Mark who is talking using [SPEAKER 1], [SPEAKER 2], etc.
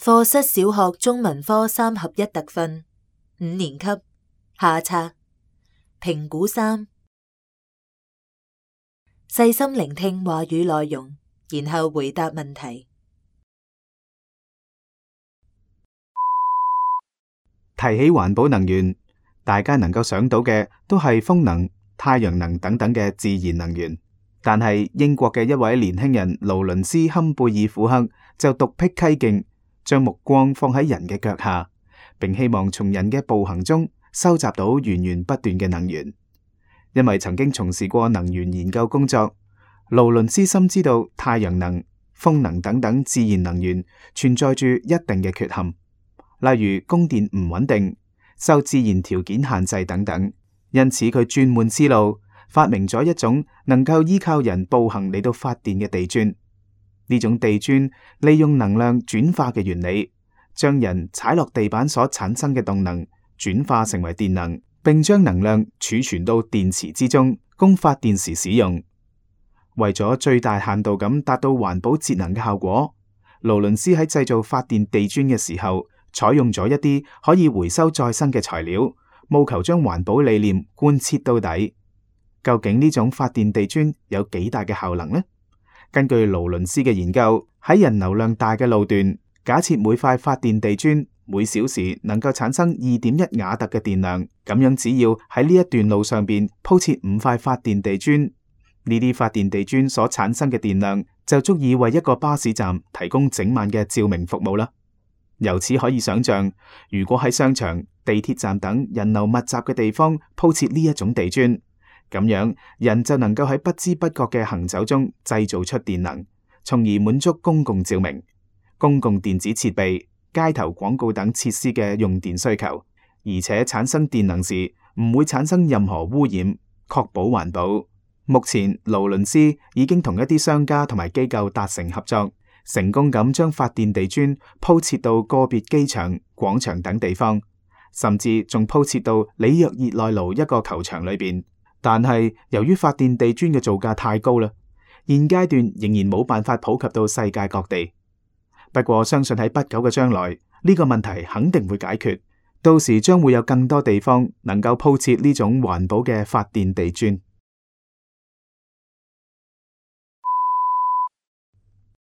[SPEAKER 1] 課室小學中文科3合1特訓5年級下冊評估3，細心聆聽話語內容，然後回答問題。
[SPEAKER 2] 提起環保能源，大家能夠想到嘅都係風能、太陽能等等嘅自然能源。但係英國嘅一位年輕人勞倫斯·坎貝爾虎克就獨辟蹊徑，將目光放喺人嘅腳下，並希望從人嘅步行中收集到源源不斷嘅能源。因為曾經從事過能源研究工作，勞倫斯深知道太陽能、風能等等自然能源存在住一定嘅缺陷，例如供電唔穩定、受自然條件限制等等。因此佢轉換思路，發明咗一種能夠依靠人步行嚟到發電嘅地磚。呢種地磚利用能量轉化嘅原理，將人踩落地板所產生嘅動能轉化成為電能，並將能量儲存到電池之中，供發電時使用。為咗最大限度咁達到環保節能嘅效果，勞倫斯喺製造發電地磚嘅時候，採用咗一啲可以回收再生嘅材料，務求將環保理念貫徹到底。究竟呢種發電地磚有幾大嘅效能呢？根據勞倫斯嘅研究，喺人流量大嘅路段，假設每塊發電地磚每小時能夠產生2.1瓦特嘅電量，咁樣只要喺呢一段路上邊鋪設5塊發電地磚，呢啲發電地磚所產生嘅電量就足以為一個巴士站提供整晚嘅照明服務啦。由此可以想象，如果喺商場、地鐵站等人流密集嘅地方鋪設呢一種地磚，咁樣人就能夠喺不知不覺嘅行走中製造出電能，從而滿足公共照明、公共電子設備、街頭廣告等設施嘅用電需求，而且產生電能時唔會產生任何污染，確保環保。目前勞倫斯已經同一啲商家同埋機構達成合作，成功咁將發電地磚鋪設到個別機場、廣場等地方，甚至仲鋪設到里約熱內盧一個球場裏邊。但係由於發電地磚嘅造價太高啦，現階段仍然冇辦法普及到世界各地。不過相信喺不久嘅將來，呢個問題肯定會解決，到時將會有更多地方能夠鋪設呢種環保嘅發電地磚。